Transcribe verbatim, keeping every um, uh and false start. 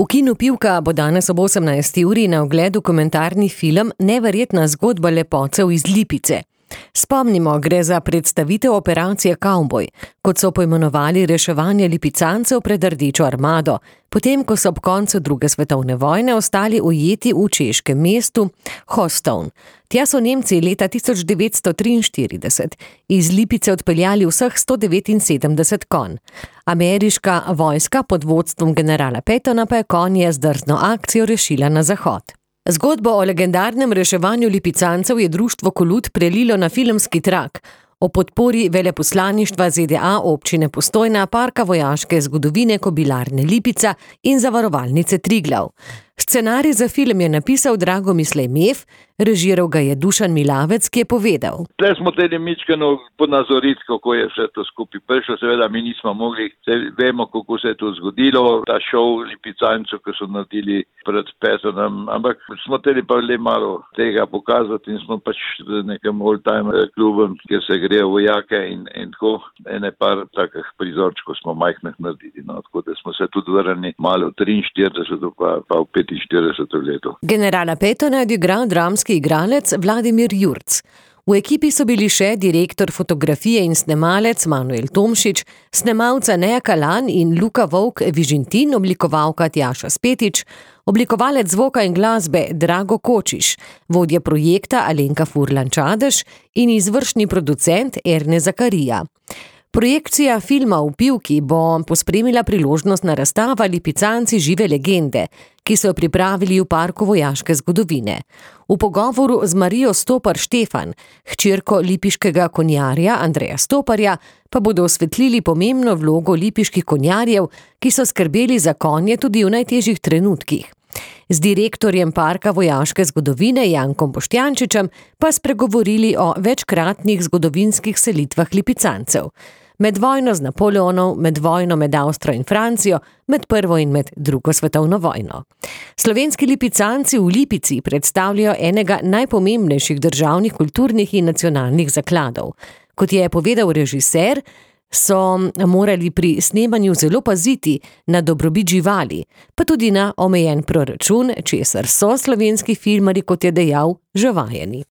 V kinu Pivka bo danes ob osemnajsti uri na ogled dokumentarni film Neverjetna zgodba lepotcev iz Lipice. Spomnimo, gre za predstavitev operacije Kavboj, kot so poimenovali reševanje lipicancev pred Rdečo armado, potem ko so ob koncu druge svetovne vojne ostali ujeti v češkem mestu Hostovn. Tja so Nemci leta tisoč devetsto triinštirideset iz Lipice odpeljali vseh sto devetinsedemdeset konj. Ameriška vojska pod vodstvom generala Pattona pa je konje z drzno akcijo rešila na zahod. Zgodbo o legendarnem reševanju lipicancev je društvo Kolut prelilo na filmski trak o podpori veleposlaništva Z D A občine Postojna, Parka vojaške zgodovine Kobilarne Lipica in Zavarovalnice Triglav. Scenarij za film je napisal Drago Mislej Mef, režiral ga je Dušan Milavec, ki je povedal. Tle smo teli mičkano ponazoriti, kako je vse to skupaj prišlo. Seveda mi nismo mogli, vemo, kako se je to zgodilo. Ta šov lipicancev, ki so naredili pred Pattonom, ampak smo teli pa le malo tega pokazati in smo pač v nekem old-time klubem, kjer se grejo vojake in, in tako ene par takih prizorčkov smo majhnih naredili. No, tako da smo se tudi vrnili malo v triinštirideseto pa, pa v petinštirideseto leto. Generala Pattona je odigral dramski igralec Vladimir Jurc. V ekipi so bili še direktor fotografije in snemalec Manuel Tomšič, snemalca Neja Kalan in Luka Vovk Vižintin, oblikovalka Tjaša Spetič, oblikovalec zvoka in glasbe Drago Kočiš, vodja projekta Alenka Furlan Čadež in izvršni producent Erne Zakarija. Projekcija filma v Pivki bo pospremila priložnostna razstava Lipicanci žive legende, ki so jo pripravili v Parku vojaške zgodovine. V pogovoru z Marijo Stopar Štefan, hčerko lipiškega konjarja Andreja Stoparja, pa bodo osvetlili pomembno vlogo lipiških konjarjev, ki so skrbeli za konje tudi v najtežjih trenutkih. Z direktorjem Parka vojaške zgodovine Jankom Boštjančičem pa spregovorili o večkratnih zgodovinskih selitvah lipicancev. Med vojno z Napoleonom, med vojno med Avstrijo in Francijo, med prvo in med drugo svetovno vojno. Slovenski lipicanci v Lipici predstavljajo enega najpomembnejših državnih, kulturnih in nacionalnih zakladov. Kot je povedal režiser, so morali pri snemanju zelo paziti na dobrobit živali, pa tudi na omejen proračun, česar so slovenski filmarji, kot je dejal, že vajeni.